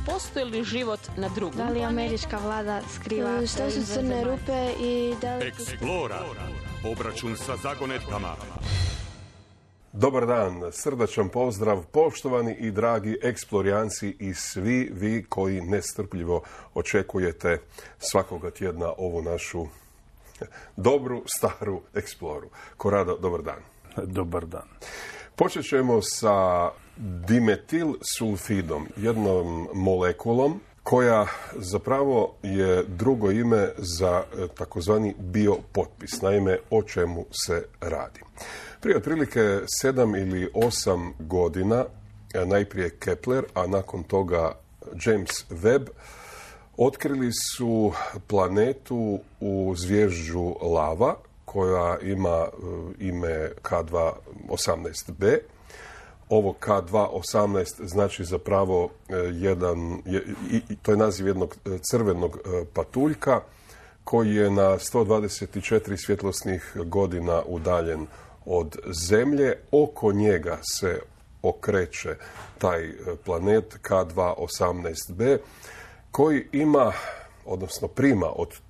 postoji li život na drugom Da li američka vlada skriva šta su crne rupe i da li... Eksplora. Obračun sa zagonetkama. Dobar dan, srdačan pozdrav, poštovani i dragi eksplorijanci i svi vi koji nestrpljivo očekujete svakoga tjedna ovu našu dobru, staru eksploru. Korado, dobar dan. Dobar dan. Počet ćemo sa dimetilsulfidom, jednom molekulom koja zapravo je drugo ime za takozvani biopotpis. Naime, o čemu se radi. Prije otprilike 7 ili 8 godina, najprije Kepler, a nakon toga James Webb, otkrili su planetu u zvježđu Lava, koja ima ime K2-18b. Ovo K2-18 znači zapravo to je naziv jednog crvenog patuljka koji je na 124 svjetlosnih godina udaljen od Zemlje. Oko njega se okreće taj planet K2-18b koji ima, odnosno prima od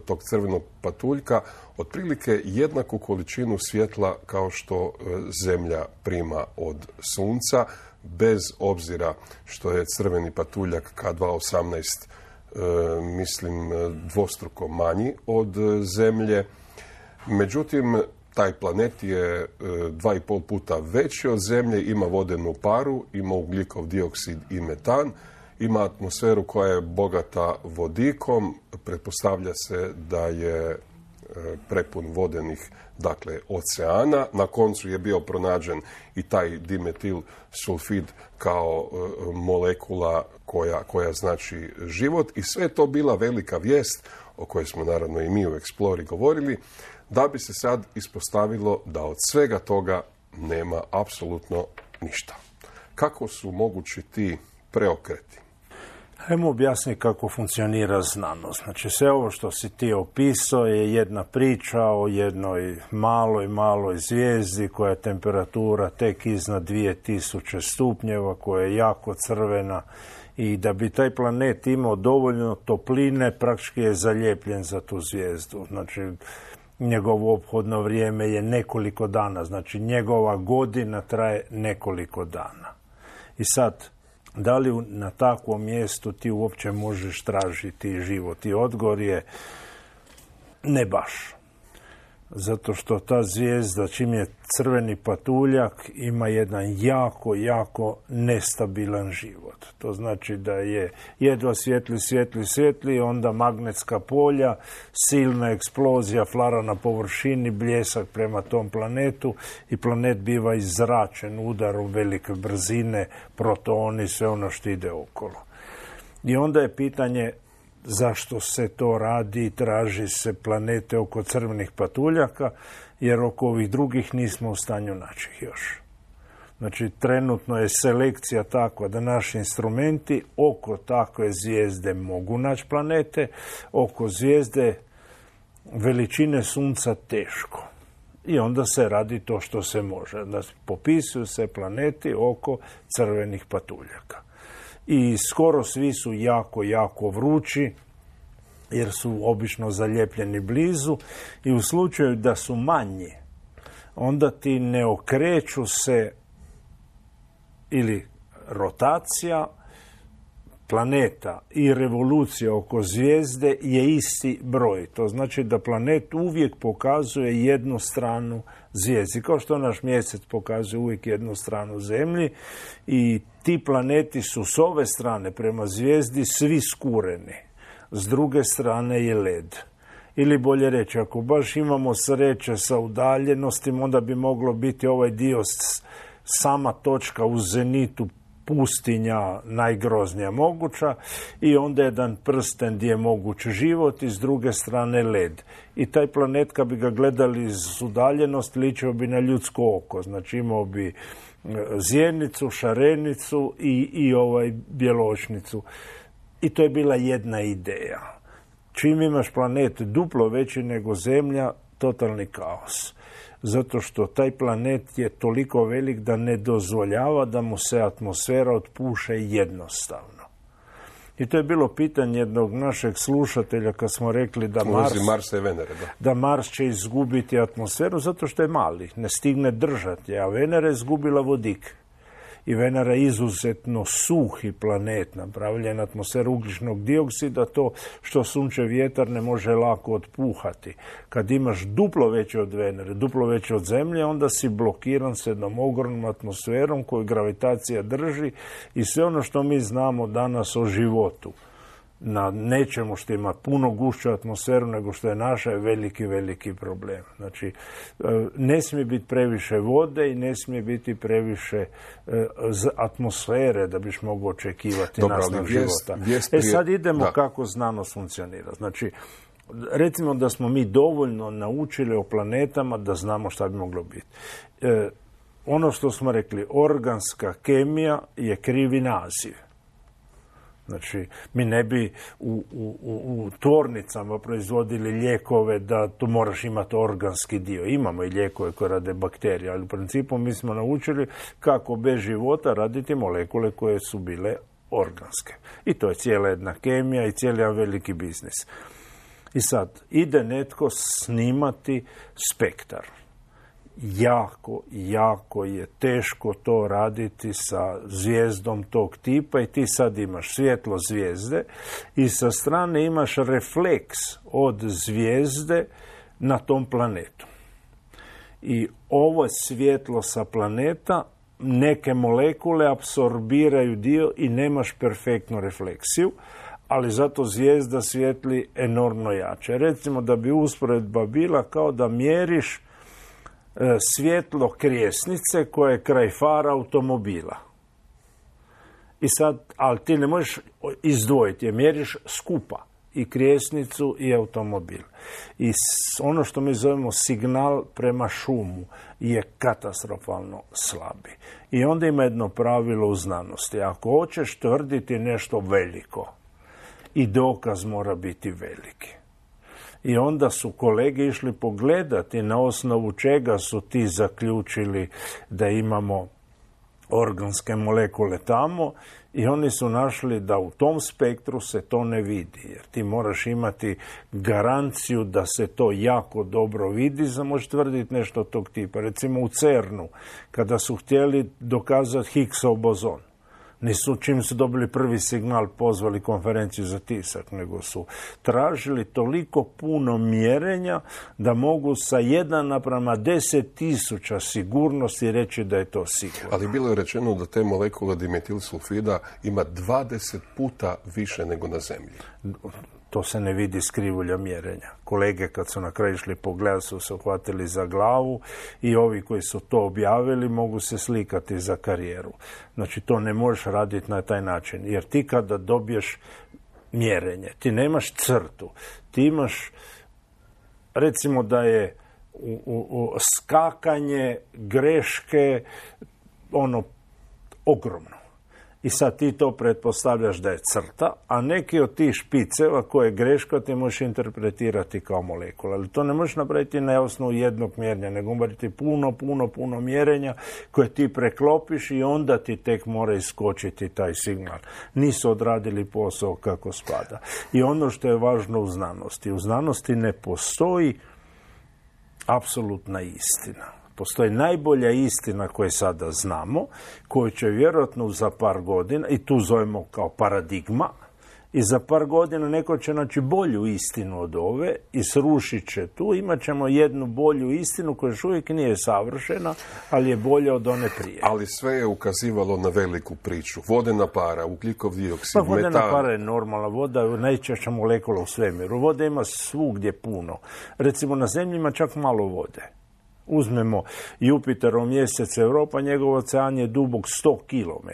tog crvenog patuljka otprilike jednaku količinu svjetla kao što Zemlja prima od Sunca, bez obzira što je crveni patuljak K2-18 mislim dvostruko manji od Zemlje. Međutim, taj planet je 2,5 puta veći od Zemlje, ima vodenu paru, ima ugljikov dioksid i metan, ima atmosferu koja je bogata vodikom, pretpostavlja se da je prepun vodenih, dakle, oceana. Na koncu je bio pronađen i taj dimetil sulfid kao molekula koja znači život, i sve to bila velika vijest o kojoj smo naravno i mi u Explori govorili, da bi se sad ispostavilo da od svega toga nema apsolutno ništa. Kako su mogući ti preokreti? Hajmo objasniti kako funkcionira znanost. Znači, sve ovo što si ti opisao je jedna priča o jednoj maloj zvijezdi koja je temperatura tek iznad 2000 stupnjeva, koja je jako crvena, i da bi taj planet imao dovoljno topline, praktički je zaljepljen za tu zvijezdu. Znači, njegovo ophodno vrijeme je nekoliko dana, znači njegova godina traje nekoliko dana. I sad, da li na takvom mjestu ti uopće možeš tražiti život? I odgovor je ne baš. Zato što ta zvijezda, čim je crveni patuljak, ima jedan jako nestabilan život. To znači da je jedva svijetli, onda magnetska polja, silna eksplozija, flara na površini, bljesak prema tom planetu i planet biva izzračen udarom velike brzine, protoni, sve ono što ide okolo. I onda je pitanje zašto se to radi, traži se planete oko crvenih patuljaka, jer oko ovih drugih nismo u stanju naći ih još. Znači, trenutno je selekcija takva da naši instrumenti oko takve zvijezde mogu naći planete, oko zvijezde veličine Sunca teško. I onda se radi to što se može. Da popisuju se planeti oko crvenih patuljaka. I skoro svi su jako vrući, jer su obično zalijepljeni blizu, i u slučaju da su manji, onda ti ne okreću se, ili rotacija planeta i revolucija oko zvijezde je isti broj. To znači da planet uvijek pokazuje jednu stranu zvijezdi, kao što naš mjesec pokazuje uvijek jednu stranu Zemlji, i ti planeti su s ove strane prema zvijezdi svi skureni. S druge strane je led. Ili bolje reći, ako baš imamo sreće sa udaljenostima, onda bi moglo biti ovaj dio sama točka u zenitu, pustinja najgroznija moguća, i onda jedan prsten gdje je moguć život i s druge strane led. I taj planet, kad bi ga gledali iz udaljenosti, ličio bi na ljudsko oko. Znači, imao bi zjenicu, šarenicu i bjeločnicu. I to je bila jedna ideja. Čim imaš planet duplo veći nego Zemlja, totalni kaos. Zato što taj planet je toliko velik da ne dozvoljava da mu se atmosfera otpuše jednostavno. I to je bilo pitanje jednog našeg slušatelja kad smo rekli da Marsa i Venere, da Mars će izgubiti atmosferu zato što je mali, ne stigne držati, a Venera je izgubila vodik. I Venera je izuzetno suhi planet, napravljen atmosferu ugljičnog dioksida, to što sunčev vjetar ne može lako otpuhati. Kad imaš duplo veće od Venere, duplo veće od Zemlje, onda si blokiran s jednom ogromnom atmosferom koju gravitacija drži i sve ono što mi znamo danas o životu na nečemu što ima puno gušću atmosferu nego što je naša je veliki, veliki problem. Znači, ne smije biti previše vode i ne smije biti previše atmosfere da biš mogao očekivati nastav života. Sad idemo kako znanost funkcionira. Znači, recimo da smo mi dovoljno naučili o planetama da znamo šta bi moglo biti. Ono što smo rekli, organska kemija je krivi naziv. Znači, mi ne bi u tvornicama proizvodili lijekove da tu moraš imati organski dio. Imamo i lijekove koje rade bakterije, ali u principu mi smo naučili kako bez života raditi molekule koje su bile organske. I to je cijela jedna kemija i cijeli jedan veliki biznis. I sad, ide netko snimati spektar. Jako je teško to raditi sa zvijezdom tog tipa i ti sad imaš svjetlo zvijezde i sa strane imaš refleks od zvijezde na tom planetu. I ovo svjetlo sa planeta, neke molekule apsorbiraju dio i nemaš perfektnu refleksiju, ali zato zvijezda svijetli enormno jače. Recimo da bi usporedba bila kao da mjeriš svjetlo krijesnice koje je kraj fara automobila. I sad, ali ti ne možeš izdvojiti, jer mjeriš skupa i krijesnicu i automobil. I ono što mi zovemo signal prema šumu je katastrofalno slabi. I onda ima jedno pravilo u znanosti. Ako hoćeš tvrditi nešto veliko, i dokaz mora biti veliki. I onda su kolege išli pogledati na osnovu čega su ti zaključili da imamo organske molekule tamo i oni su našli da u tom spektru se to ne vidi. Jer ti moraš imati garanciju da se to jako dobro vidi, za možeš tvrditi nešto tog tipa. Recimo u CERN-u, kada su htjeli dokazati Higgsov bozon, nisu čim su dobili prvi signal pozvali konferenciju za tisak, nego su tražili toliko puno mjerenja da mogu sa 1:10.000 sigurnosti reći da je to sigurno. Ali bilo je rečeno da te molekule dimetilsulfida ima 20 puta više nego na Zemlji. To se ne vidi s krivulja mjerenja. Kolege kad su na kraju išli pogledati su se uhvatili za glavu i ovi koji su to objavili mogu se slikati za karijeru. Znači to ne možeš raditi na taj način. Jer ti kada dobiješ mjerenje, ti nemaš crtu. Ti imaš, recimo da je skakanje, greške, ogromno. I sad ti to pretpostavljaš da je crta, a neki od tih špiceva koje je greška ti možeš interpretirati kao molekula. Ali to ne možeš napraviti na osnovu jednog mjerenja, nego morati puno mjerenja koje ti preklopiš i onda ti tek mora iskočiti taj signal. Nisu odradili posao kako spada. I ono što je važno u znanosti ne postoji apsolutna istina. Postoji najbolja istina koju sada znamo, koju će vjerojatno za par godina, i tu zovemo kao paradigma, i za par godina neko će naći bolju istinu od ove i srušit će tu. Imat ćemo jednu bolju istinu koja još uvijek nije savršena, ali je bolja od one prije. Ali sve je ukazivalo na veliku priču. Vodena para, ugljikov dioksid, metan. Vodena para je normalna. Voda je najčešća molekula u svemiru. Vode ima svugdje puno. Recimo na Zemlji ima čak malo vode. Uzmemo Jupiterov mjesec Europa, njegov ocean je dubok 100 km.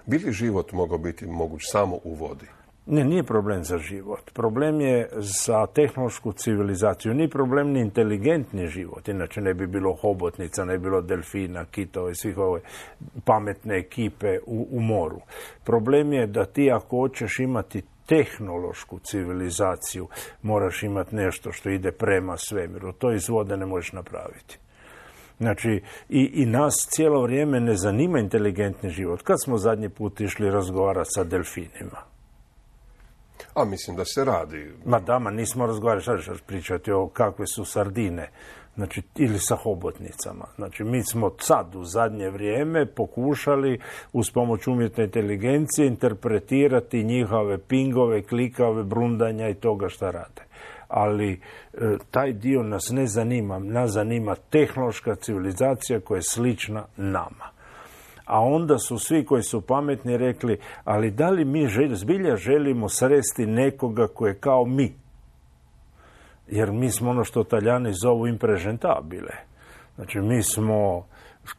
Bi li život mogao biti moguć samo u vodi? Ne, nije problem za život. Problem je za tehnološku civilizaciju. Nije problem ni inteligentni život. Inače ne bi bilo hobotnica, ne bi bilo delfina, kitova i svih ove pametne ekipe u moru. Problem je da ti ako hoćeš imati tehnološku civilizaciju, moraš imati nešto što ide prema svemiru. To iz vode ne možeš napraviti. Znači, i nas cijelo vrijeme ne zanima inteligentni život. Kad smo zadnji put išli razgovarati sa delfinima? A mislim da se radi. Ma dama, nismo razgovarali, šta ćeš pričati o kakve su sardine, znači, ili sa hobotnicama. Znači, mi smo sad u zadnje vrijeme pokušali uz pomoć umjetne inteligencije interpretirati njihove pingove, klikave, brundanja i toga šta rade. Ali taj dio nas ne zanima. Nas zanima tehnološka civilizacija koja je slična nama. A onda su svi koji su pametni rekli, ali da li mi zbilja želimo sresti nekoga koji je kao mi? Jer mi smo ono što Talijani zovu imprežentabile. Znači, mi smo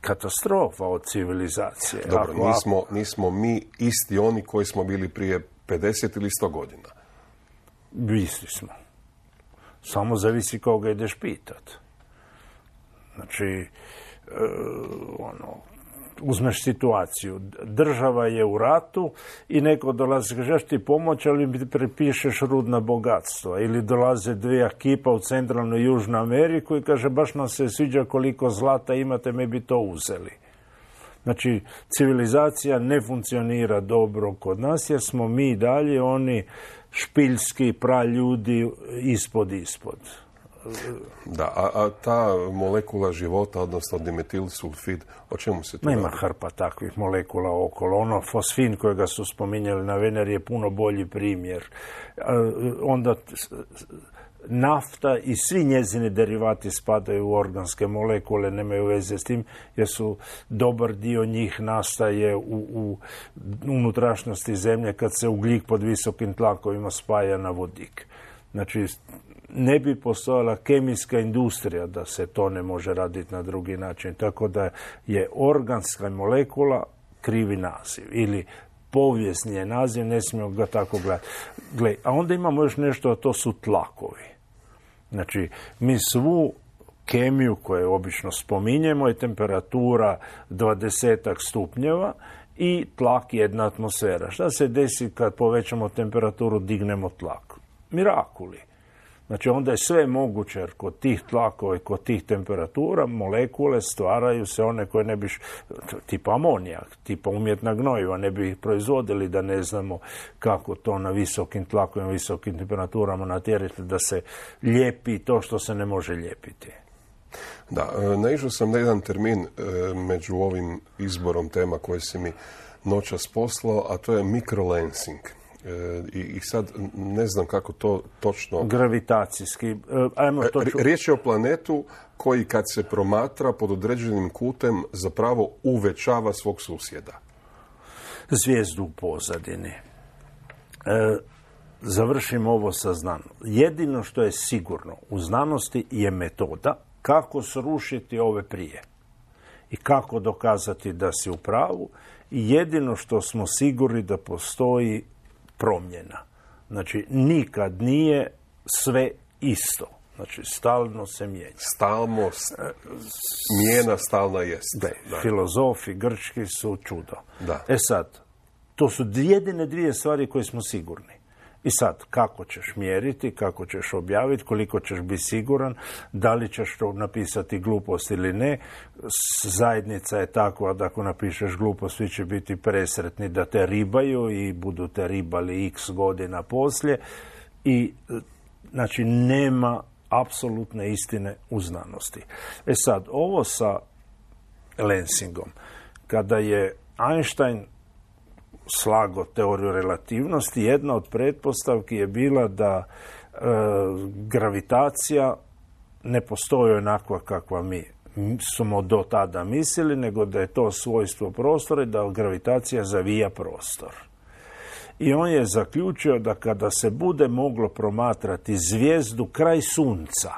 katastrofa od civilizacije. Dobro, nismo mi isti oni koji smo bili prije 50 ili 100 godina. Isti smo. Samo zavisi koga ideš pitat. Znači, uzmeš situaciju. Država je u ratu i neko dolazi, kažeš ti pomoć, ali mi prepišeš rudna bogatstva. Ili dolaze dvije ekipa u centralnu i južnu Ameriku i kaže baš nam se sviđa koliko zlata imate, mi bi to uzeli. Znači, civilizacija ne funkcionira dobro kod nas jer smo mi dalje oni špiljski praljudi ispod. Da, a ta molekula života, odnosno dimetilsulfid, o čemu se to Nema radi? hrpa takvih molekula okolo. Ono fosfin kojega su spominjali na Veneri je puno bolji primjer. Onda nafta i svi njezini derivati spadaju u organske molekule, nemaju veze s tim, jer su dobar dio njih nastaje u unutrašnjosti zemlje kad se ugljik pod visokim tlakovima spaja na vodik. Znači, ne bi postojala kemijska industrija da se to ne može raditi na drugi način. Tako da je organska molekula krivi naziv ili povijesni je naziv, ne smijemo ga tako gledati. A onda imamo još nešto, a to su tlakovi. Znači, mi svu kemiju koju obično spominjemo je temperatura 20 stupnjeva i tlak 1 atmosfera. Šta se desi kad povećamo temperaturu, dignemo tlak? Mirakuli. Znači, onda je sve moguće, jer kod tih tlakova i kod tih temperatura molekule stvaraju se one koje ne bi, tipa amonijak, tipa umjetna gnojiva, ne bi ih proizvodili da ne znamo kako to na visokim tlakovima, visokim temperaturama natjerati da se lijepi to što se ne može lijepiti. Da, naišao sam na jedan termin među ovim izborom tema koje si mi noćas poslao, a to je mikrolensing. I sad ne znam kako to točno... Gravitacijski. Riječ je o planetu koji kad se promatra pod određenim kutem zapravo uvećava svog susjeda. Zvijezdu u pozadini. Završimo ovo sa znanom. Jedino što je sigurno u znanosti je metoda kako srušiti ove prije i kako dokazati da si u pravu. I jedino što smo sigurni da postoji promjena. Znači, nikad nije sve isto. Znači, stalno se mijenja. Mijena stalna jest. Da. Filozofi grčki su čudo. Da. Sad, to su jedine dvije stvari koje smo sigurni. I sad, kako ćeš mjeriti, kako ćeš objaviti, koliko ćeš biti siguran, da li ćeš to napisati glupost ili ne. Zajednica je takva da ako napišeš glupost, svi će biti presretni da te ribaju i budu te ribali x godina poslije. I, znači, nema apsolutne istine u znanosti. Sad, ovo sa Lensingom, kada je Einstein slago teoriju relativnosti, jedna od pretpostavki je bila da gravitacija ne postoji onakva kakva mi smo do tada mislili, nego da je to svojstvo prostora i da gravitacija zavija prostor. I on je zaključio da kada se bude moglo promatrati zvijezdu kraj sunca,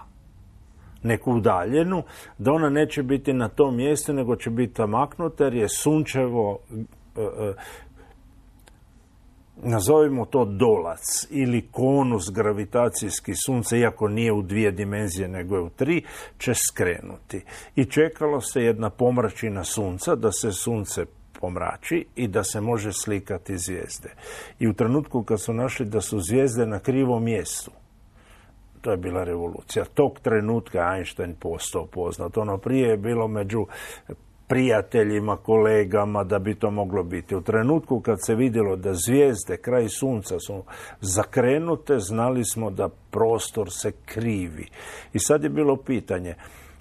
neku udaljenu, da ona neće biti na tom mjestu, nego će biti maknuta jer je sunčevo nazovimo to dolac ili konus gravitacijski sunca, iako nije u 2 dimenzije nego je u 3, će skrenuti. I čekalo se jedna pomračina sunca, da se sunce pomrači i da se može slikati zvijezde. I u trenutku kad su našli da su zvijezde na krivom mjestu, to je bila revolucija. Tog trenutka Einstein postao poznat. Ono prije je bilo među prijateljima, kolegama da bi to moglo biti. U trenutku kad se vidjelo da zvijezde kraj sunca su zakrenute, znali smo da prostor se krivi. I sad je bilo pitanje,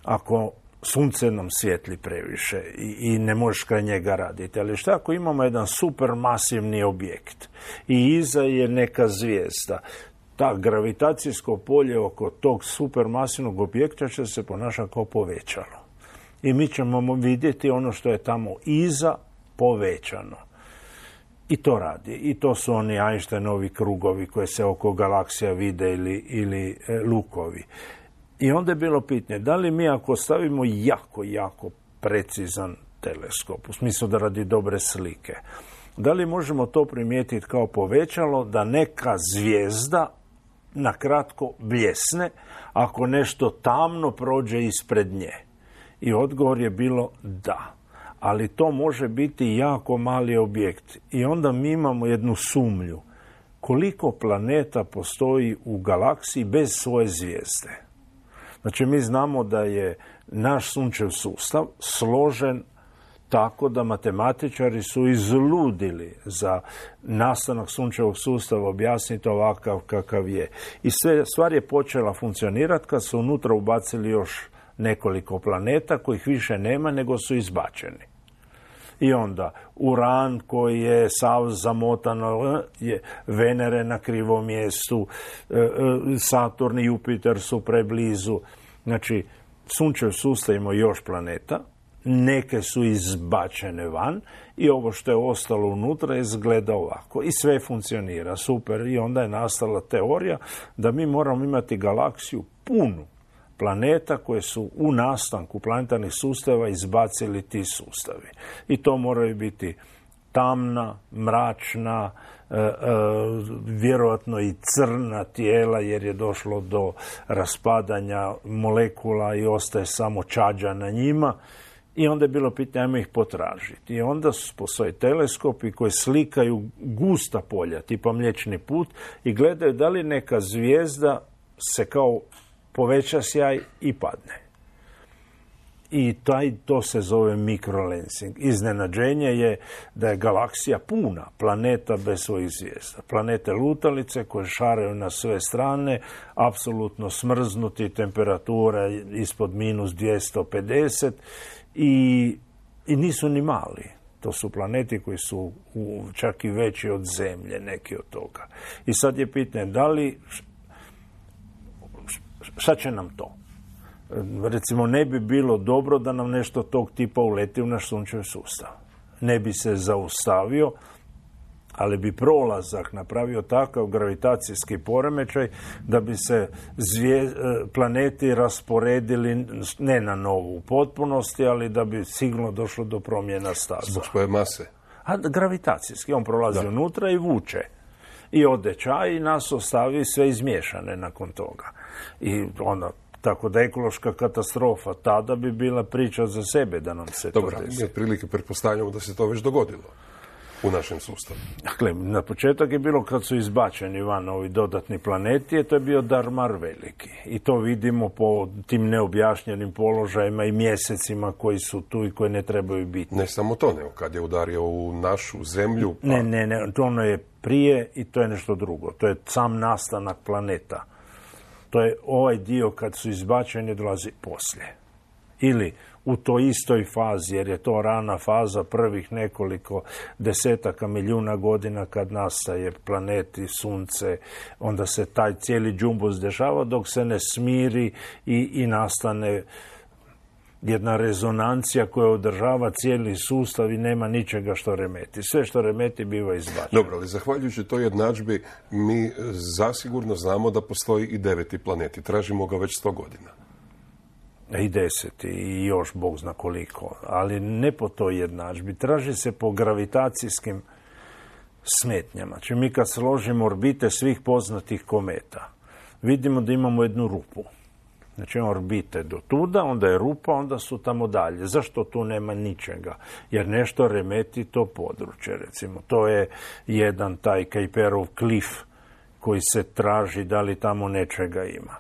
ako sunce nam svijetli previše i ne možeš kraj njega raditi, ali šta ako imamo jedan supermasivni objekt i iza je neka zvijezda, ta gravitacijsko polje oko tog supermasivnog objekta će se ponašati kao povećalo. I mi ćemo vidjeti ono što je tamo iza povećano. I to radi. I to su oni Einsteinovi krugovi koje se oko galaksija vide ili lukovi. I onda je bilo pitanje, da li mi ako stavimo jako precizan teleskop, u smislu da radi dobre slike, da li možemo to primijetiti kao povećalo da neka zvijezda na kratko bljesne ako nešto tamno prođe ispred nje? I odgovor je bilo da. Ali to može biti jako mali objekt. I onda mi imamo jednu sumnju. Koliko planeta postoji u galaksiji bez svoje zvijezde? Znači, mi znamo da je naš sunčev sustav složen tako da matematičari su izludili za nastanak sunčevog sustava objasniti ovakav kakav je. I stvar je počela funkcionirati kad su unutra ubacili još nekoliko planeta kojih više nema nego su izbačeni. I onda Uran koji je sav zamotan, je Venere na krivom mjestu, Saturn i Jupiter su preblizu. Znači, sunčev sustav ima još planeta, neke su izbačene van i ovo što je ostalo unutra izgleda ovako. I sve funkcionira super. I onda je nastala teorija da mi moramo imati galaksiju punu planeta koje su u nastanku planetarnih sustava izbacili ti sustavi. I to moraju biti tamna, mračna, vjerojatno i crna tijela jer je došlo do raspadanja molekula i ostaje samo čađa na njima. I onda je bilo pitanje, ajmo ih potražiti. I onda postoje teleskopi koji slikaju gusta polja, tipa Mliječni put, i gledaju da li neka zvijezda se kao poveća sjaj i padne. I to se zove mikrolensing. Iznenađenje je da je galaksija puna planeta bez svojih zvijezda. Planete lutalice koje šaraju na sve strane, apsolutno smrznuti, temperatura ispod -250 i nisu ni mali. To su planeti koji su čak i veći od Zemlje, neki od toga. I sad je pitanje, da li šta će nam to? Recimo, ne bi bilo dobro da nam nešto tog tipa uleti u naš sunčev sustav. Ne bi se zaustavio, ali bi prolazak napravio takav gravitacijski poremećaj da bi se planeti rasporedili ne na novu u potpunosti, ali da bi sigurno došlo do promjena staza. Zbog svoje mase? A gravitacijski. On prolazi unutra i vuče. I ode čaj i nas ostavi sve izmiješane nakon toga. I onda, tako da ekološka katastrofa tada bi bila priča za sebe da nam se to desi. Dobro, mi otprilike pretpostavljamo da se to već dogodilo u našem sustavu. Dakle, na početak je bilo kad su izbačeni van ovi dodatni planeti, to je bio Darmar veliki. I to vidimo po tim neobjašnjenim položajima i mjesecima koji su tu i koji ne trebaju biti. Ne samo to, nego kad je udario u našu zemlju. Pa... Ne, ono je prije i to je nešto drugo. To je sam nastanak planeta. To je ovaj dio kad su izbačeni dolazi poslije. Ili u toj istoj fazi, jer je to rana faza prvih nekoliko desetaka milijuna godina kad nastaje planeti, sunce, onda se taj cijeli džumbus dešava dok se ne smiri i nastane jedna rezonancija koja održava cijeli sustav i nema ničega što remeti. Sve što remeti biva izbačeno. Dobro, ali zahvaljujući toj jednadžbi mi zasigurno znamo da postoji i 9. planeti. Tražimo ga već 100 godina. I 10. i još Bog zna koliko. Ali ne po toj jednadžbi. Traži se po gravitacijskim smetnjama. Znači mi kad složimo orbite svih poznatih kometa, vidimo da imamo jednu rupu. Znači orbite do tuda, onda je rupa, onda su tamo dalje. Zašto tu nema ničega? Jer nešto remeti to područje, recimo. To je jedan taj Kuiperov klif koji se traži da li tamo nečega ima.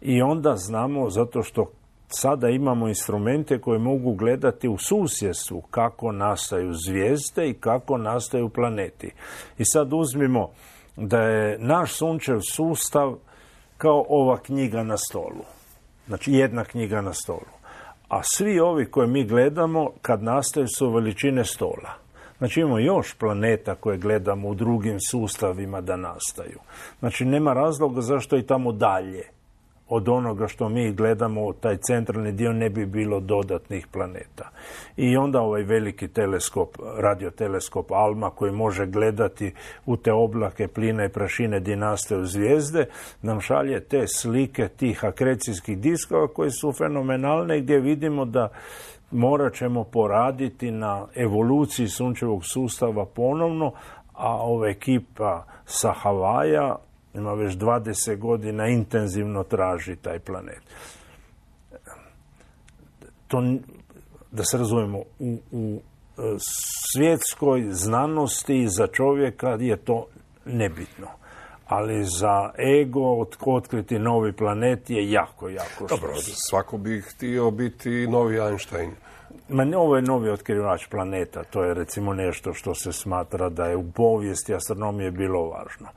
I onda znamo, zato što sada imamo instrumente koje mogu gledati u susjedstvu kako nastaju zvijezde i kako nastaju planeti. I sad uzmimo da je naš sunčev sustav kao ova knjiga na stolu. Znači jedna knjiga na stolu. A svi ovi koje mi gledamo kad nastaju su veličine stola. Znači imamo još planeta koje gledamo u drugim sustavima da nastaju. Znači nema razloga zašto i tamo dalje od onoga što mi gledamo, taj centralni dio, ne bi bilo dodatnih planeta. I onda ovaj veliki teleskop, radioteleskop ALMA, koji može gledati u te oblake plina i prašine gdje nastaju zvijezde, nam šalje te slike tih akrecijskih diskova koje su fenomenalne, gdje vidimo da morat ćemo poraditi na evoluciji sunčevog sustava ponovno, a ova ekipa sa Havaja ima već 20 godina intenzivno traži taj planet. To, da se razumijemo, u svjetskoj znanosti za čovjeka je to nebitno. Ali za ego otkriti novi planet je jako, jako dobro, svako bi htio biti novi Einstein. Ovo je novi otkrivač planeta, to je recimo nešto što se smatra da je u povijesti astronomije bilo važno.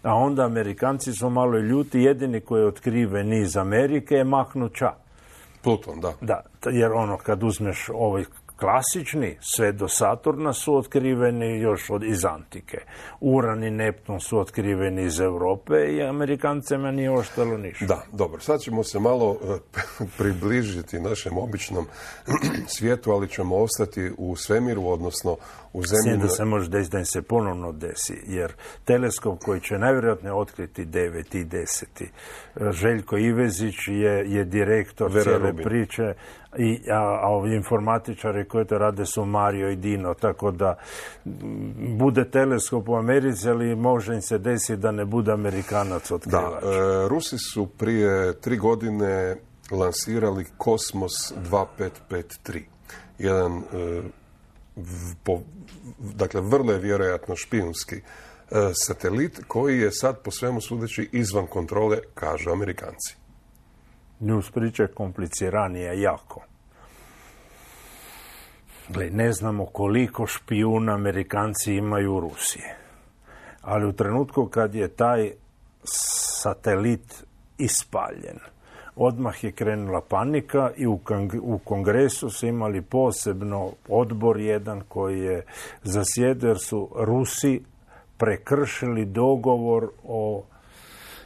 A onda Amerikanci su malo ljuti, jedini koji je otkriven iz Amerike je Mahnut Ča. Pluton, da. Da, jer kad uzmeš ovaj klasični, sve do Saturna su otkriveni još iz antike. Uran i Neptun su otkriveni iz Europe i Amerikancima nije ostalo ništa. Da, dobro. Sad ćemo se malo približiti našem običnom svijetu, ali ćemo ostati u svemiru, odnosno u zemlji. Da se može desiti da im se ponovno desi, jer teleskop koji će najvjerojatnije otkriti 9 i 10. Željko Ivezić je direktor cijele priče, a ovi informatičari koji to rade su Mario i Dino, tako da bude teleskop u Americi, ali može im se desiti da ne bude Amerikanac otkrivač. Da, Rusi su prije 3 godine lansirali Kosmos 2553. Jedan, dakle, vrlo je vjerojatno špijunski satelit koji je sad po svemu sudeći izvan kontrole, kažu Amerikanci. Njuz priče kompliciranije jako. Ne znamo koliko špijuna Amerikanci imaju u Rusiji. Ali u trenutku kad je taj satelit ispaljen, odmah je krenula panika i u Kongresu su imali posebno odbor jedan koji je zasjedao jer su Rusi prekršili dogovor o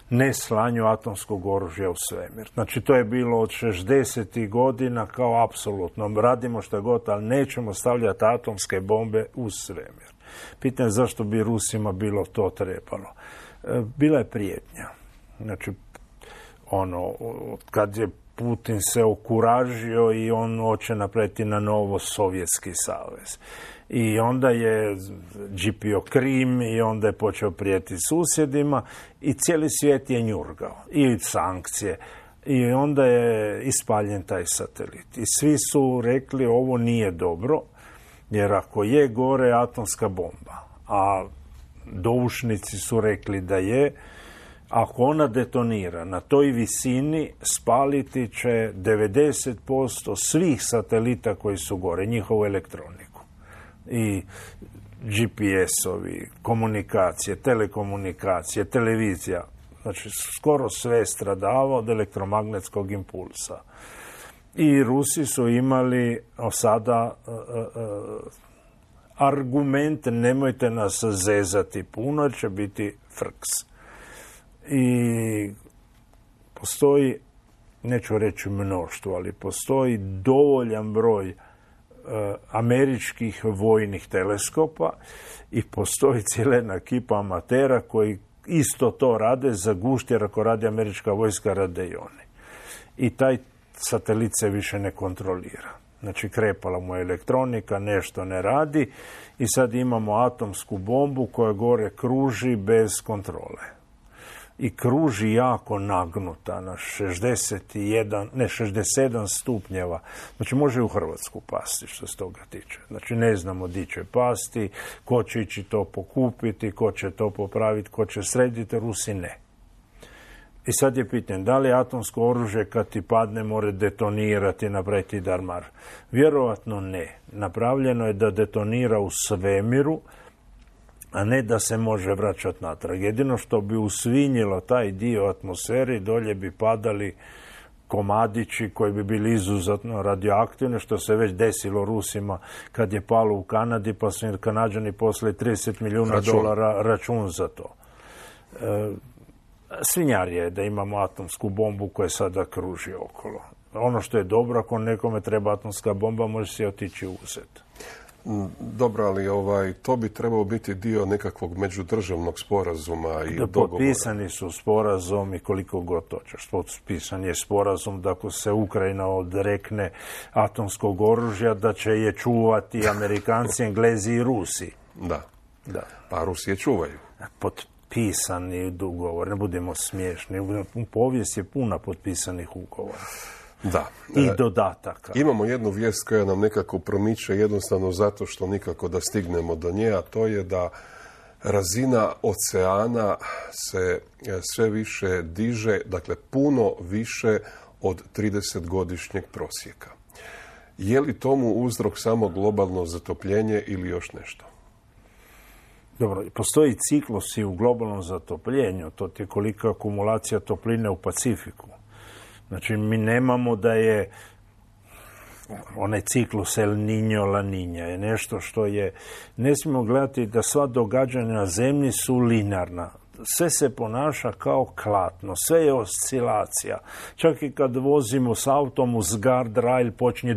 neslanju atomskog oružja u svemir. Znači, to je bilo od 60. godina kao apsolutno. Radimo što god, ali nećemo stavljati atomske bombe u svemir. Pitanje je zašto bi Rusima bilo to trebalo. Bila je prijetnja. Znači, kad je Putin se okuražio i on hoće napraviti na novo Sovjetski savez. I onda je džipio Krim i onda je počeo prijetiti susjedima i cijeli svijet je njurgao. I sankcije. I onda je ispaljen taj satelit. I svi su rekli ovo nije dobro, jer ako je gore atomska bomba, a doušnici su rekli da je, ako ona detonira na toj visini, spaliti će 90% svih satelita koji su gore, njihovu elektroniku. I GPS-ovi, komunikacije, telekomunikacije, televizija, znači skoro sve stradava od elektromagnetskog impulsa. I Rusi su imali sada argument, nemojte nas zezati puno, jer će biti frks. I postoji, neću reći mnoštvo, ali postoji dovoljan broj američkih vojnih teleskopa i postoji cijela ekipa amatera koji isto to rade za gušt, jer ako radi američka vojska, rade i oni. I taj satelit se više ne kontrolira. Znači, krepala mu je elektronika, nešto ne radi i sad imamo atomsku bombu koja gore kruži bez kontrole. I kruži jako nagnuta na 67 stupnjeva. Znači, može u Hrvatsku pasti što se toga tiče. Znači, ne znamo di će pasti, ko će ići to pokupiti, ko će to popraviti, ko će srediti, Rusi ne. I sad je pitanje, da li atomsko oružje kad ti padne more detonirati i napraviti darmar? Vjerovatno ne. Napravljeno je da detonira u svemiru, a ne da se može vraćati natrag. Jedino što bi usvinjilo taj dio atmosfere, dolje bi padali komadići koji bi bili izuzetno radioaktivni, što se već desilo Rusima kad je palo u Kanadi, pa su Kanađani poslali $30 milijuna račun za to. Svinjarije je da imamo atomsku bombu koja sada kruži okolo. Ono što je dobro, ako nekome treba atomska bomba, može se otići uzeti. Dobro, ali to bi trebao biti dio nekakvog međudržavnog sporazuma i dogovora. Potpisani su sporazum i koliko god hoćeš. Potpisan je sporazum da ako se Ukrajina odrekne atomskog oružja, da će je čuvati Amerikanci, Englezi i Rusi. Da. Pa Rusi je čuvaju. Potpisani ugovor, ne budemo smiješni. Povijest je puna potpisanih ugovora. Da. I dodataka. Imamo jednu vijest koja nam nekako promiče jednostavno zato što nikako da stignemo do nje, a to je da razina oceana se sve više diže, dakle puno više od 30-godišnjeg prosjeka. Je li tomu uzrok samo globalno zatopljenje ili još nešto? Dobro, postoji ciklusi u globalnom zatopljenju, to je kolika akumulacija topline u Pacifiku. Znači, mi nemamo da je onaj ciklus El Niño, La Niña je nešto što je, ne smijemo gledati da sva događanja na zemlji su linearna. Sve se ponaša kao klatno, sve je oscilacija. Čak i kad vozimo s autom uz guardrail počinje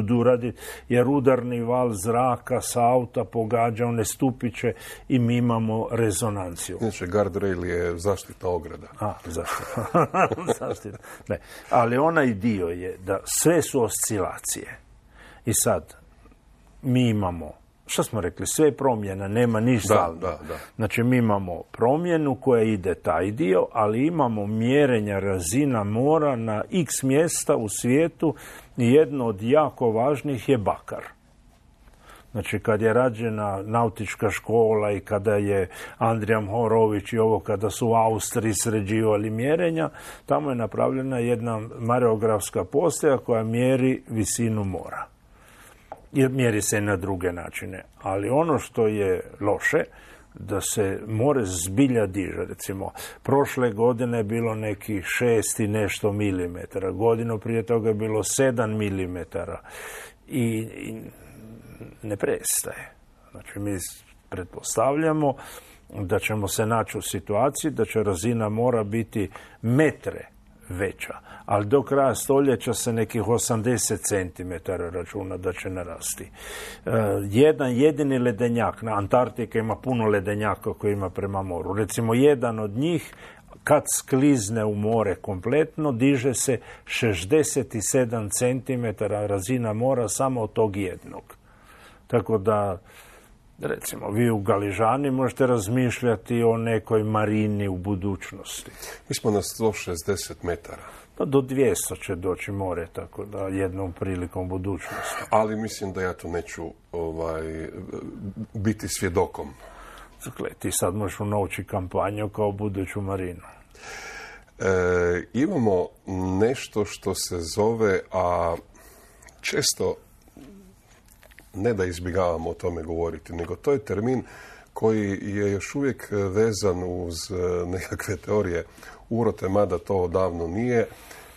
du radi, jer udarni val zraka sa auta pogađa one stupiće i mi imamo rezonanciju. Znači, guardrail je zaštitna ograda. Zaštitna. Ne. Ali onaj dio je da sve su oscilacije. I sad, mi imamo, što smo rekli, sve je promjena, nema ništa. Da. Znači, mi imamo promjenu koja ide taj dio, ali imamo mjerenja razina mora na x mjesta u svijetu i jedno od jako važnih je bakar. Znači, kad je rađena nautička škola i kada je Andrija Mohorović i kada su u Austriji sređivali mjerenja, tamo je napravljena jedna mareografska postaja koja mjeri visinu mora. Jer mjeri se na druge načine. Ali ono što je loše, da se more zbilja diže. Recimo, prošle godine je bilo nekih 6 i nešto milimetara. Godinu prije toga je bilo 7 milimetara. I ne prestaje. Znači, mi pretpostavljamo da ćemo se naći u situaciji da će razina mora biti metre veća, ali do kraja stoljeća se nekih 80 cm računa da će narasti. Jedan jedini ledenjak, na Antarktika ima puno ledenjaka koji ima prema moru. Recimo, jedan od njih, kad sklizne u more kompletno, diže se 67 cm razina mora samo od tog jednog. Tako da, recimo, vi u Galižani možete razmišljati o nekoj marini u budućnosti. Mi smo na 160 metara. Pa do 200 će doći more, tako da jednom prilikom budućnosti. Ali mislim da ja tu neću biti svjedokom. Dakle, ti sad možeš unovći kampanju kao buduću marinu. Imamo nešto što se zove, a često ne da izbjegavamo o tome govoriti, nego to je termin koji je još uvijek vezan uz nekakve teorije urote, mada to odavno nije.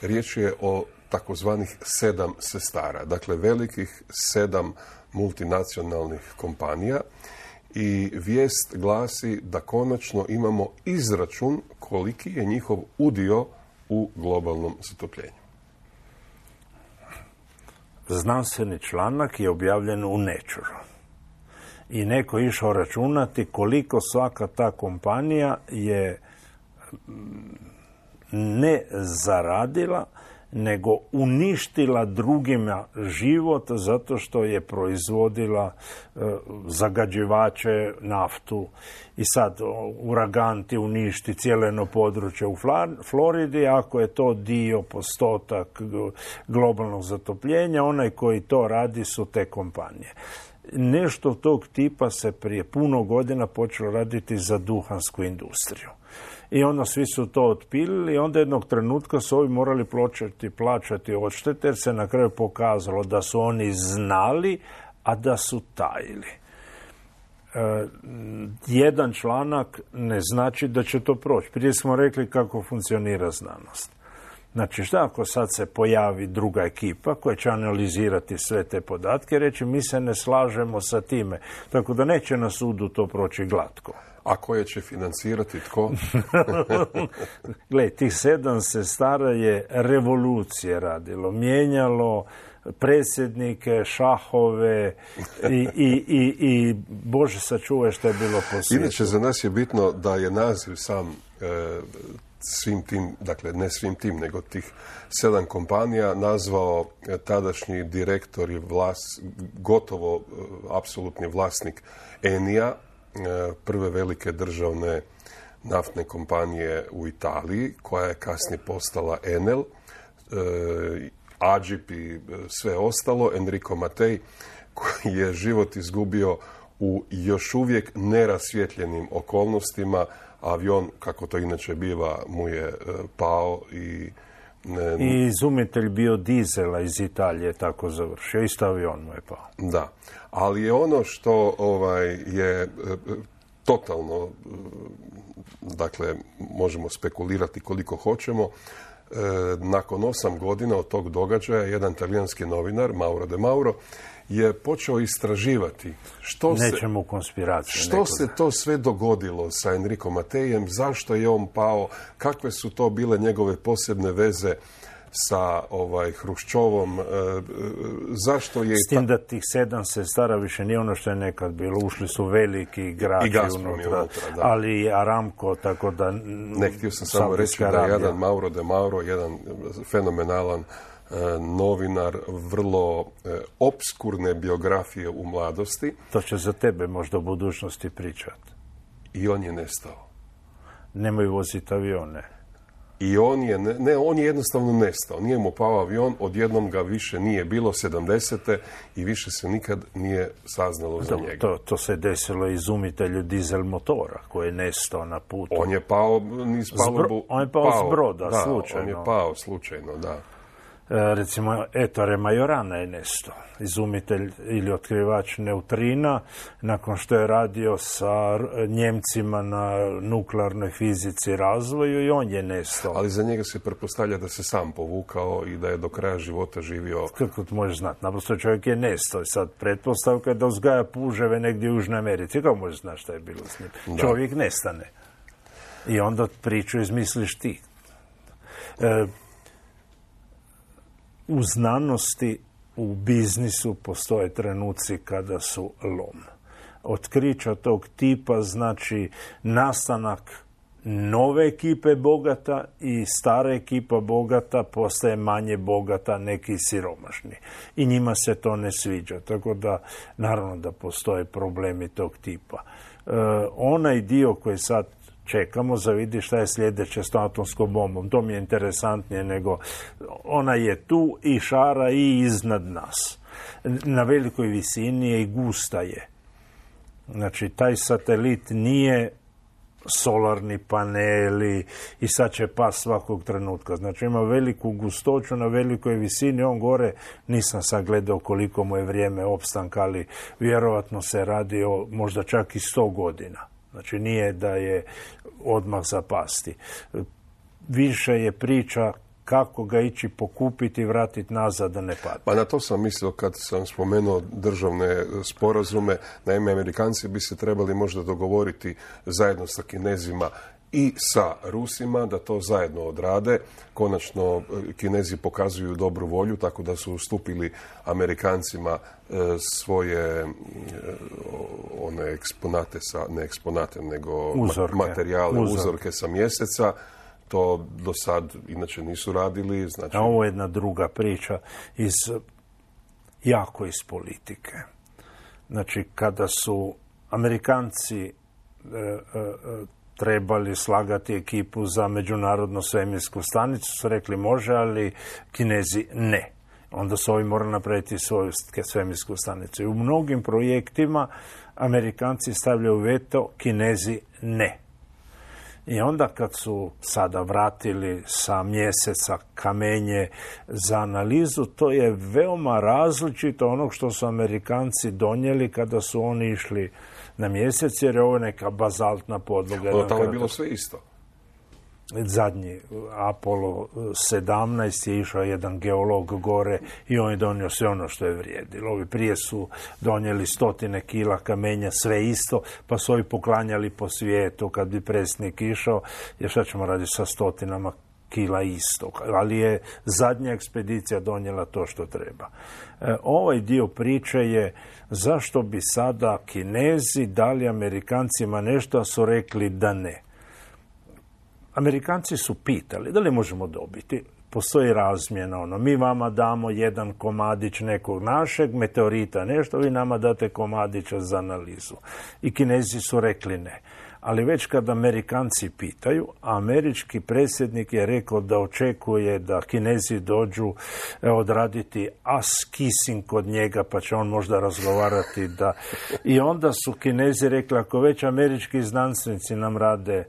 Riječ je o takozvanih 7 sestara, dakle velikih 7 multinacionalnih kompanija, i vijest glasi da konačno imamo izračun koliki je njihov udio u globalnom zatopljenju. Znanstveni članak je objavljen u Nature. I neko je išao računati koliko svaka ta kompanija je ne zaradila, nego uništila drugima život zato što je proizvodila zagađivače, naftu. I sad uragan ti uništi cijelo jedno područje u Floridi, ako je to dio postotak globalnog zatopljenja, onaj koji to radi su te kompanije. nešto tog tipa se prije puno godina počelo raditi za duhansku industriju. I onda svi su to otpilili i onda jednog trenutka su ovi morali plaćati odštete, jer se na kraju pokazalo da su oni znali, a da su tajili. Jedan članak ne znači da će to proći. Prije smo rekli kako funkcionira znanost. Znači, šta ako sad se pojavi druga ekipa koja će analizirati sve te podatke i reći mi se ne slažemo sa time, tako da neće na sudu to proći glatko. A koje će financirati tko? Gle, tih 7 sestara je revolucije radilo, mijenjalo predsjednike, šahove i Bože sačuvaj što je bilo po svijetu. Inače, za nas je bitno da je naziv sam svim tim, dakle ne svim tim, nego tih 7 kompanija nazvao tadašnji direktor i gotovo apsolutni vlasnik Enija, prve velike državne naftne kompanije u Italiji, koja je kasnije postala Enel, Agip i sve ostalo, Enrico Mattei, koji je život izgubio u još uvijek nerasvjetljenim okolnostima. Avion, kako to inače biva, mu je pao i izumitelj biodizela iz Italije tako završio. Isto avion mu je pao. Da, ali je ono što je totalno, dakle, možemo spekulirati koliko hoćemo, nakon 8 godina od tog događaja jedan talijanski novinar, Mauro De Mauro, je počeo istraživati što se to sve dogodilo sa Enrico Matteijem, zašto je on pao, kakve su to bile njegove posebne veze sa Hruščovom, zašto je... S tim da tih 7 sestara više nije ono što je nekad bilo, ušli su veliki igrači unutra, ali i Aramco, tako da... Ne, htio sam samo reći da je jedan Mauro De Mauro, jedan fenomenalan novinar, vrlo opskurne biografije u mladosti. To će za tebe možda u budućnosti pričati. I on je nestao. Nemoj voziti avione. I on je jednostavno nestao. Nije mu pao avion, odjednom ga više nije bilo 70. i više se nikad nije saznalo za njega. To se desilo izumitelju dizel motora koji je nestao na putu. On je pao niz palubu. On je pao s broda, slučajno. On je pao slučajno, da. Recimo, Ettore Majorana je nestao, izumitelj ili otkrivač neutrina, nakon što je radio sa Njemcima na nuklearnoj fizici i razvoju, i on je nestao. Ali za njega se pretpostavlja da se sam povukao i da je do kraja života živio... Kako to možeš znati? Naprosto čovjek je nestao. Sad pretpostavka je da uzgaja puževe negdje u Južnoj Americi. Kako možeš znati šta je bilo s njim? Da. Čovjek nestane. I onda priču izmisliš ti. U znanosti, u biznisu postoje trenuci kada su lom. Otkrića tog tipa znači nastanak nove ekipe bogata i stara ekipa bogata postaje manje bogata, neki siromašni. I njima se to ne sviđa. Tako da, naravno da postoje problemi tog tipa. Onaj dio koji sad čekamo za vidi šta je sljedeće s atomskom bombom. To mi je interesantnije nego ona je tu i šara i iznad nas. Na velikoj visini je i gusta je. Znači, taj satelit nije solarni paneli i sad će pas svakog trenutka. Znači, ima veliku gustoću na velikoj visini. On gore, nisam sad gledao koliko mu je vrijeme opstanka, ali vjerovatno se radi o možda čak i 100 godina. Znači, nije da je odmah zapasti. Više je priča kako ga ići pokupiti i vratiti nazad da ne padne. Pa na to sam mislio kad sam spomenuo državne sporazume. Naime, Amerikanci bi se trebali možda dogovoriti zajedno sa Kinezima i sa Rusima da to zajedno odrade. Konačno, Kinezi pokazuju dobru volju, tako da su ustupili Amerikancima svoje one eksponate, ne eksponate, nego materijale, uzorke sa Mjeseca. To do sad inače nisu radili. Znači... Ovo je jedna druga priča jako iz politike. Znači, kada su Amerikanci trebali slagati ekipu za međunarodnu svemirsku stanicu, su rekli može, ali Kinezi ne. onda su ovi morali napraviti svoju svemirsku stanicu. I u mnogim projektima Amerikanci stavljaju veto, Kinezi ne. I onda kad su sada vratili sa Mjeseca kamenje za analizu, to je veoma različito onog što su Amerikanci donijeli kada su oni išli na Mjesec, jer je ovo neka bazaltna podloga. Tamo je bilo sve isto. Zadnji Apollo 17 je išao jedan geolog gore i on je donio sve ono što je vrijedilo. Ovi prije su donijeli 100 kila kamenja, sve isto, pa su ovi poklanjali po svijetu kad bi predsjednik išao, jer šta ćemo raditi sa 100 kila isto. Ali je zadnja ekspedicija donijela to što treba. Ovaj dio priče je zašto bi sada Kinezi dali Amerikancima nešto, a su rekli da ne. Amerikanci su pitali da li možemo dobiti. Postoji razmjena, mi vama damo jedan komadić nekog našeg meteorita, nešto, vi nama date komadića za analizu. I Kinezi su rekli ne. Ali već kad Amerikanci pitaju, američki predsjednik je rekao da očekuje da Kinezi dođu odraditi kissing kod njega, pa će on možda razgovarati da... I onda su Kinezi rekli, ako već američki znanstvenici nam rade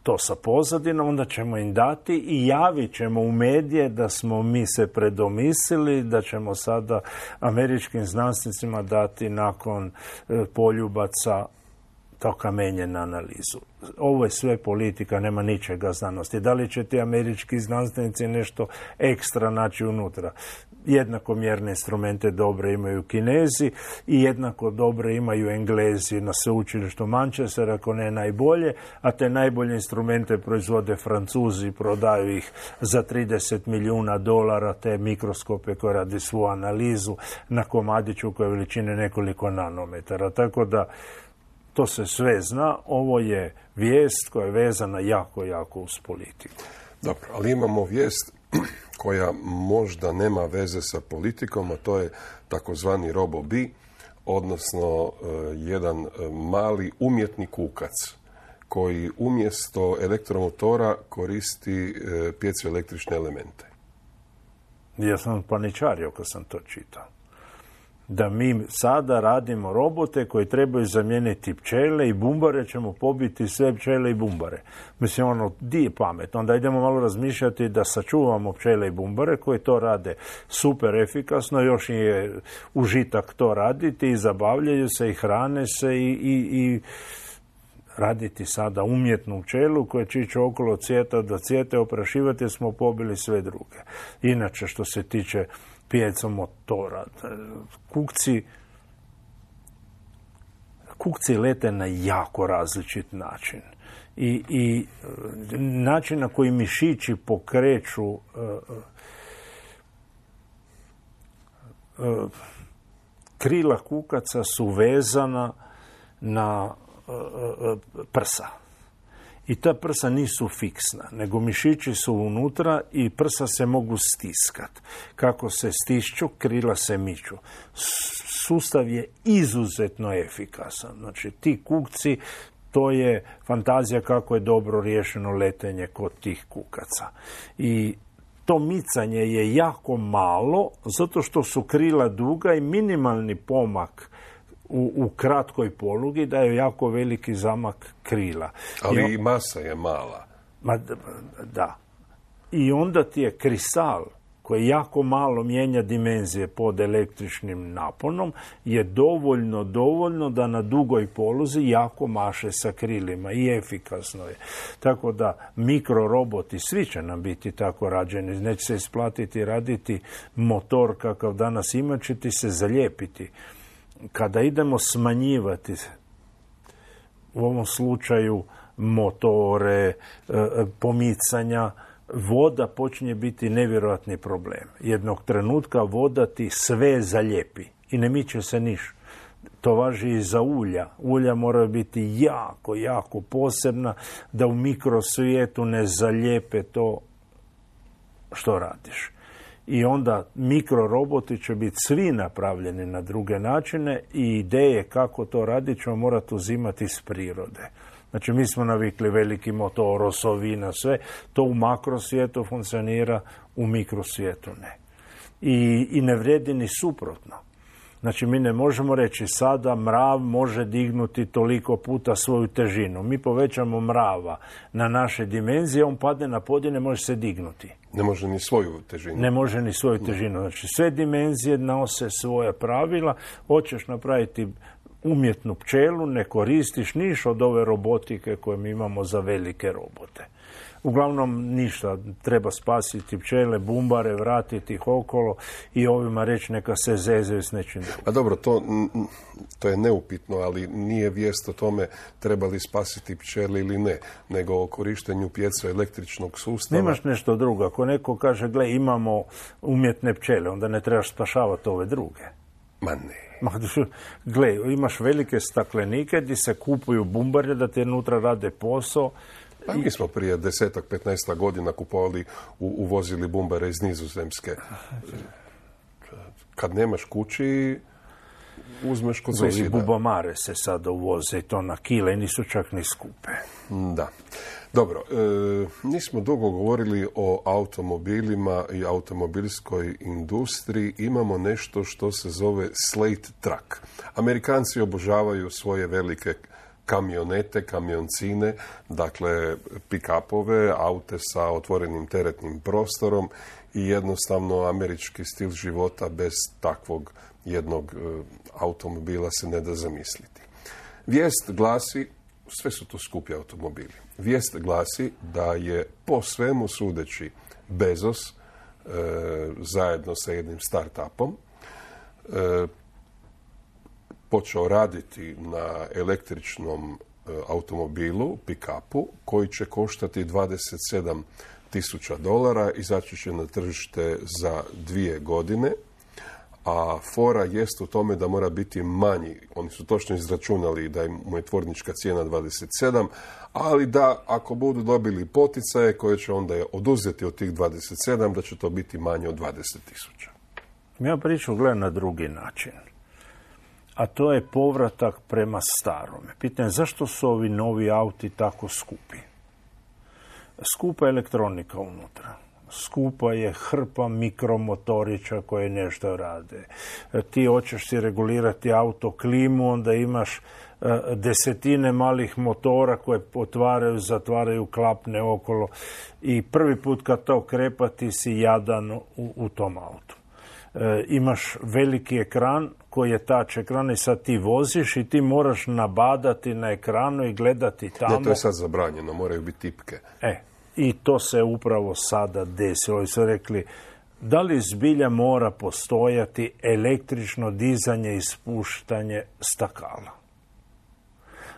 to sa pozadinom, onda ćemo im dati i javit ćemo u medije da smo mi se predomislili, da ćemo sada američkim znanstvenicima dati nakon poljubaca to kamenje na analizu. Ovo je sve politika, nema ničega znanosti. Da li će ti američki znanstvenici nešto ekstra naći unutra? Jednako mjerne instrumente dobre imaju Kinezi i jednako dobre imaju Englezi na sveučilištu Manchester, ako ne najbolje, a te najbolje instrumente proizvode Francuzi, prodaju ih za $30 milijuna, te mikroskope koje radi svu analizu na komadiću koje je veličine nekoliko nanometara. Tako da to se sve zna, ovo je vijest koja je vezana jako, jako uz politiku. Dobro, ali imamo vijest koja možda nema veze sa politikom, a to je takozvani RoboBee, odnosno jedan mali umjetni kukac koji umjesto elektromotora koristi pjezoelektrične elemente. Ja sam paničario kad sam to čitao. Da mi sada radimo robote koji trebaju zamijeniti pčele i bumbare, ćemo pobiti sve pčele i bumbare. Mislim, di je pamet? Onda idemo malo razmišljati da sačuvamo pčele i bumbare koji to rade super efikasno, još je užitak to raditi i zabavljaju se i hrane se i raditi sada umjetnu pčelu koja će ići okolo cvijeta do cvijeta, oprašivati jer smo pobili sve druge. Inače, što se tiče pjezomotora, kukci lete na jako različit način. I način na koji mišići pokreću krila kukaca su vezana na prsa. I ta prsa nisu fiksna, nego mišići su unutra i prsa se mogu stiskat. Kako se stišću, krila se miču. Sustav je izuzetno efikasan. Znači, ti kukci, to je fantazija kako je dobro riješeno letenje kod tih kukaca. I to micanje je jako malo, zato što su krila duga i minimalni pomak u kratkoj polugi daje jako veliki zamak krila. Ali i masa je mala. Da. I onda ti je kristal koji jako malo mijenja dimenzije pod električnim naponom je dovoljno da na dugoj poluzi jako maše sa krilima i efikasno je. Tako da mikroroboti, svi će nam biti tako rađeni, neće se isplatiti raditi motor kakav danas ima, će ti se zalijepiti. Kada idemo smanjivati, u ovom slučaju motore, pomicanja, voda počinje biti nevjerojatni problem. Jednog trenutka voda ti sve zalijepi i ne miče se niš. To važi i za ulja. Ulja moraju biti jako, jako posebna da u mikrosvijetu ne zalijepe to što radiš. I onda mikroroboti će biti svi napravljeni na druge načine i ideje kako to raditi ćemo morati uzimati iz prirode. Znači, mi smo navikli veliki motor, osovina, sve. To u makrosvijetu funkcionira, u mikrosvijetu ne. I ne vrijedi ni suprotno. Znači, mi ne možemo reći sada mrav može dignuti toliko puta svoju težinu. Mi povećamo mrava na naše dimenzije, on padne na pod i ne može se dignuti. Ne može ni svoju težinu. Ne može ni svoju težinu. Znači, sve dimenzije nose svoja pravila. Hoćeš napraviti umjetnu pčelu, ne koristiš niš od ove robotike koje mi imamo za velike robote. Uglavnom ništa, treba spasiti pčele, bumbare, vratiti ih okolo i ovima reći neka se zezaju s nečim. A dobro, to je neupitno, ali nije vijest o tome treba li spasiti pčele ili ne, nego o korištenju pjecoelektričnog sustava. Nemaš nešto drugo. Ako neko kaže, gle, imamo umjetne pčele, onda ne trebaš spašavati ove druge. Ma ne. Gle, imaš velike staklenike gdje se kupuju bumbare da te unutra rade posao. Pa mi smo prije 10-15 godina kupovali, uvozili bumbare iz Nizozemske. Kad nemaš kući, uzmeš kod susjeda. Bubamare se sada uvoze i to na kile, nisu čak ni skupe. Da. Dobro, nismo dugo govorili o automobilima i automobilskoj industriji. Imamo nešto što se zove slate truck. Amerikanci obožavaju svoje velike kamionete, kamioncine, dakle pick-upove, aute sa otvorenim teretnim prostorom i jednostavno američki stil života bez takvog jednog automobila se ne da zamisliti. Vijest glasi, sve su to skupi automobili, vijest glasi da je po svemu sudeći Bezos zajedno sa jednim start-upom počeo raditi na električnom automobilu, pick-upu, koji će koštati $27,000, izaći će na tržište za 2 godine, a fora jest u tome da mora biti manji. Oni su točno izračunali da mu je tvornička cijena 27, ali da ako budu dobili poticaje koje će onda oduzeti od tih 27, da će to biti manje od 20,000. Ja priču gledam na drugi način. A to je povratak prema starome. Pitanje je zašto su ovi novi auti tako skupi? Skupa je elektronika unutra. Skupa je hrpa mikromotorića koje nešto rade. Ti hoćeš si regulirati auto klimu, onda imaš desetine malih motora koje otvaraju, zatvaraju, klapne okolo. I prvi put kad to krepa ti si jadan u tom autu. Imaš veliki ekran koji je tač ekran i sad ti voziš i ti moraš nabadati na ekranu i gledati tamo. Ne, to je sad zabranjeno, moraju biti tipke. I to se upravo sada desilo. I su rekli, da li zbilja mora postojati električno dizanje i spuštanje stakala?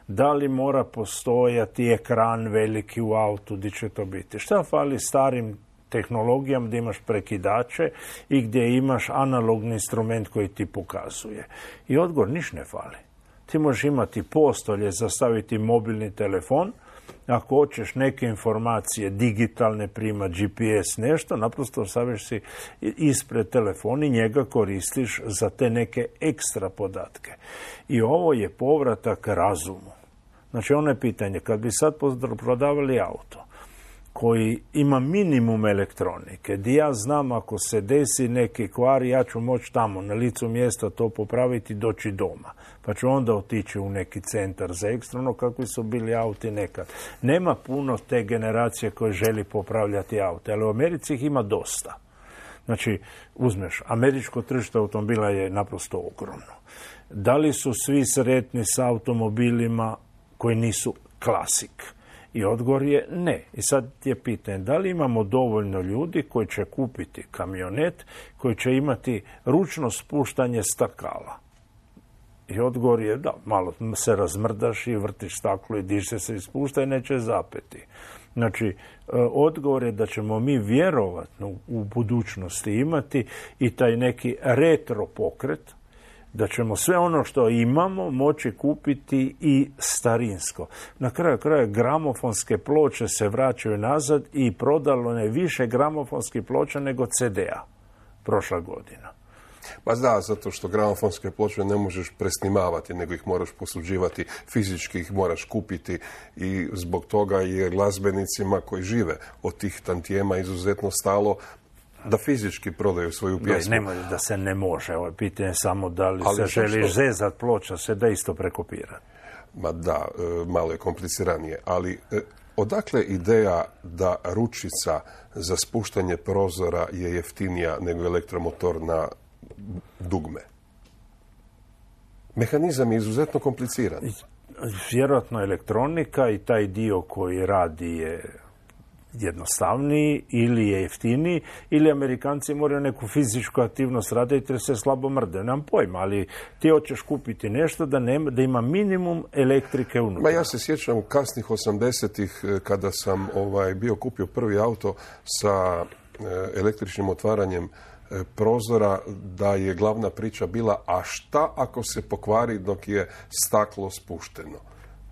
Da li mora postojati ekran veliki u autu, gdje će to biti? Šta fali starim tehnologijama gdje imaš prekidače i gdje imaš analogni instrument koji ti pokazuje? I odgovor, niš ne fali. Ti možeš imati postolje za staviti mobilni telefon, ako hoćeš neke informacije digitalne, prima GPS, nešto, naprosto staviš si ispred telefon i njega koristiš za te neke ekstra podatke. I ovo je povratak razumu. Znači, ono je pitanje, kad bi sad prodavali auto koji ima minimum elektronike, gdje ja znam ako se desi neki kvar, ja ću moći tamo na licu mjesta to popraviti, doći doma. Pa ću onda otići u neki centar za ekstrano, kakvi su bili auti nekad. Nema puno te generacije koje želi popravljati aute, ali u Americi ih ima dosta. Znači, uzmeš, američko tržište automobila je naprosto ogromno. Da li su svi sretni s automobilima koji nisu klasik? I odgovor je ne. I sad je pitanje, da li imamo dovoljno ljudi koji će kupiti kamionet, koji će imati ručno spuštanje stakala? I odgovor je da, malo se razmrdaš i vrtiš staklo i diže se i spušta i neće zapeti. Znači, odgovor je da ćemo mi vjerovatno u budućnosti imati i taj neki retro pokret, da ćemo sve ono što imamo moći kupiti i starinsko. Na kraju kraja gramofonske ploče se vraćaju nazad i prodalo je više gramofonskih ploča nego CD-a prošla godina. Pa da, zato što gramofonske ploče ne možeš presnimavati, nego ih moraš posuđivati, fizički ih moraš kupiti i zbog toga je glazbenicima koji žive od tih tantijema izuzetno stalo Da fizički prodaju svoju pjesmu. Nemoj da se ne može. Ovo je pitanje samo da li se želiš zezat ploča, se da isto prekopirati. Ma da, malo je kompliciranije, ali odakle ideja da ručica za spuštanje prozora je jeftinija nego elektromotor na dugme? Mehanizam je izuzetno kompliciran. Vjerojatno elektronika i taj dio koji radi je jednostavniji ili je jeftiniji, ili Amerikanci moraju neku fizičku aktivnost raditi jer se slabo mrde. Nemam pojma, ali ti hoćeš kupiti nešto da ima minimum elektrike unutra. Ja se sjećam kasnih 80-ih kada sam bio kupio prvi auto sa električnim otvaranjem prozora, da je glavna priča bila a šta ako se pokvari dok je staklo spušteno.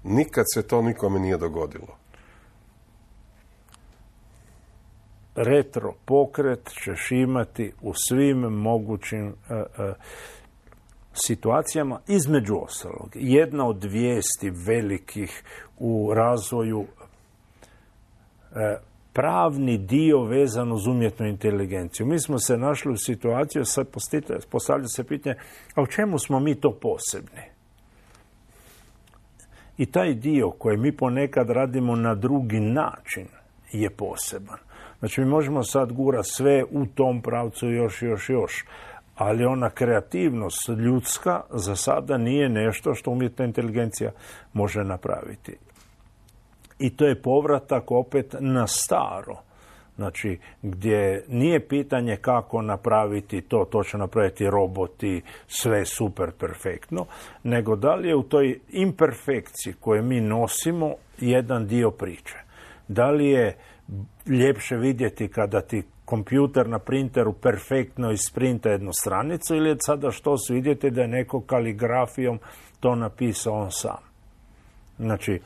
Nikad se to nikome nije dogodilo. Retro pokret ćeš imati u svim mogućim situacijama, između ostalog. Jedna od vijesti velikih u razvoju pravni dio vezan uz umjetnu inteligenciju. Mi smo se našli u situaciju, sad postavlja se pitanje, a u čemu smo mi to posebni? I taj dio koji mi ponekad radimo na drugi način je poseban. Znači, mi možemo sad gurati sve u tom pravcu još, ali ona kreativnost ljudska za sada nije nešto što umjetna inteligencija može napraviti. I to je povratak opet na staro. Znači, gdje nije pitanje kako napraviti to će napraviti roboti, sve super perfektno, nego da li je u toj imperfekciji koju mi nosimo jedan dio priče. Da li je ljepše vidjeti kada ti kompjuter na printeru perfektno isprinta jednu stranicu ili je sada što su vidjeti da je neko kaligrafijom to napisao on sam. Znači,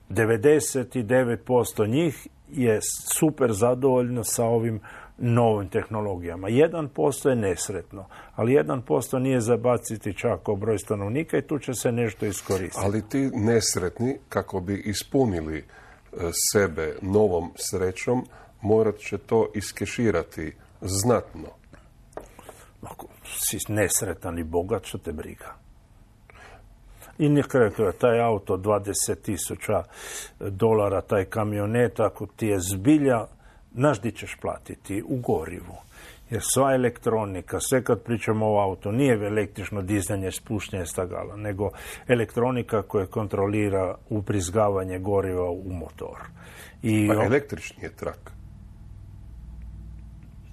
99% njih je super zadovoljno sa ovim novim tehnologijama. 1% je nesretno, ali 1% nije zabaciti čak o broj stanovnika i tu će se nešto iskoristiti. Ali ti nesretni, kako bi ispunili sebe novom srećom, morat će to iskeširati znatno. Ako si nesretan i bogat, što te briga? I nekako taj auto $20,000, taj kamionet, ako ti je zbilja, znaš di ćeš platiti? U gorivu. Jer sva elektronika, sve kad pričamo o auto, nije električno dizanje, spuštanje stagala, nego elektronika koja kontrolira ubrizgavanje goriva u motor. Pa električni je trak.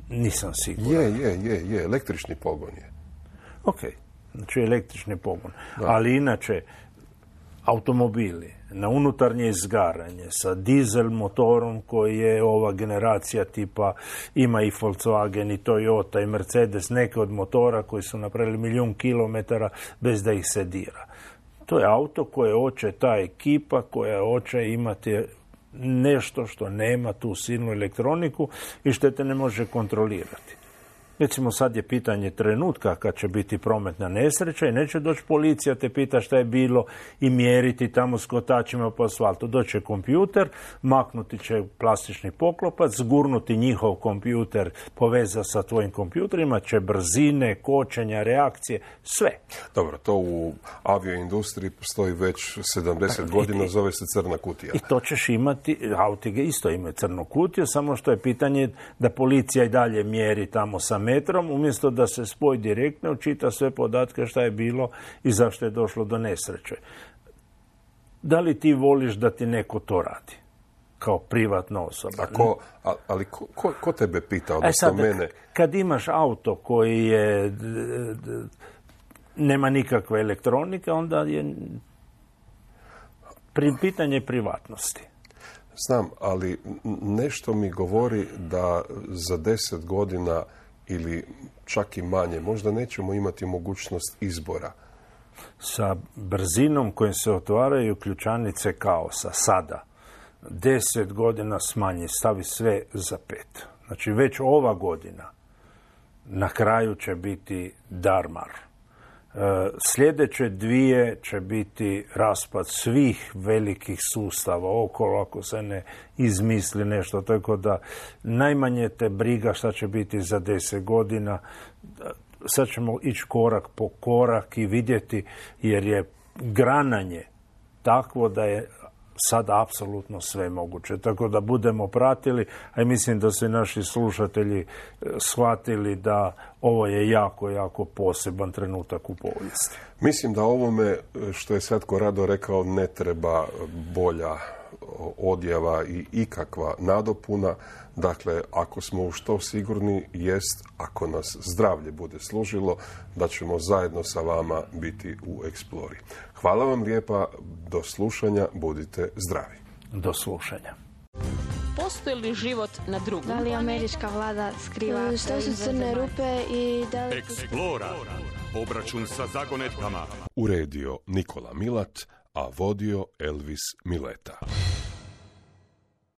Nisam siguran. Je, električni pogon je. Ok, znači električni pogon. Da. Ali inače, automobili na unutarnje izgaranje sa dizel motorom koji je ova generacija tipa, ima i Volkswagen i Toyota i Mercedes, neke od motora koji su napravili 1.000.000 kilometara bez da ih se dira. To je auto koje hoće ta ekipa koja hoće imati nešto što nema tu silnu elektroniku i što te ne može kontrolirati. Recimo, sad je pitanje trenutka kad će biti prometna nesreća i neće doći policija te pita šta je bilo i mjeriti tamo s kotačima po asfaltu. Doće kompjuter, maknuti će plastični poklopac, zgurnuti njihov kompjuter, poveza sa tvojim kompjuterima, će brzine, kočenja, reakcije, sve. Dobro, to u avioindustriji postoji već 70 godina, zove se crna kutija. I to ćeš imati, autige isto imaju crnu kutiju, samo što je pitanje da policija i dalje mjeri tamo sa metrom, umjesto da se spoj direktno učita sve podatke šta je bilo i zašto je došlo do nesreće. Da li ti voliš da ti neko to radi? Kao privatna osoba. Ali ko tebe pita, odnosno mene? Kad imaš auto koji je nema nikakve elektronike, onda je pitanje privatnosti. Znam, ali nešto mi govori da za 10 godina ili čak i manje, možda nećemo imati mogućnost izbora. Sa brzinom kojim se otvaraju ključanice kaosa sada, 10 godina smanji, stavi sve za 5. Znači već ova godina na kraju će biti darmar. Sljedeće dvije će biti raspad svih velikih sustava okolo ako se ne izmisli nešto. Tako da najmanje te briga šta će biti za 10 godina. Sad ćemo ići korak po korak i vidjeti, jer je grananje takvo da je sad apsolutno sve moguće. Tako da budemo pratili, a mislim da se naši slušatelji shvatili da ovo je jako, jako poseban trenutak u povijesti. Mislim da ovome što je Svatko Rado rekao ne treba bolja odjava i ikakva nadopuna. Dakle, ako smo u što sigurni jest, ako nas zdravlje bude služilo, da ćemo zajedno sa vama biti u Explori. Hvala vam lijepa, do slušanja, budite zdravi. Do slušanja. Postoji li život na drugom? Da li američka vlada skriva Što su crne rupe i da li... Explora. Obračun sa zagonetkama. Uredio Nikola Milat, a vodio Elvis Mileta.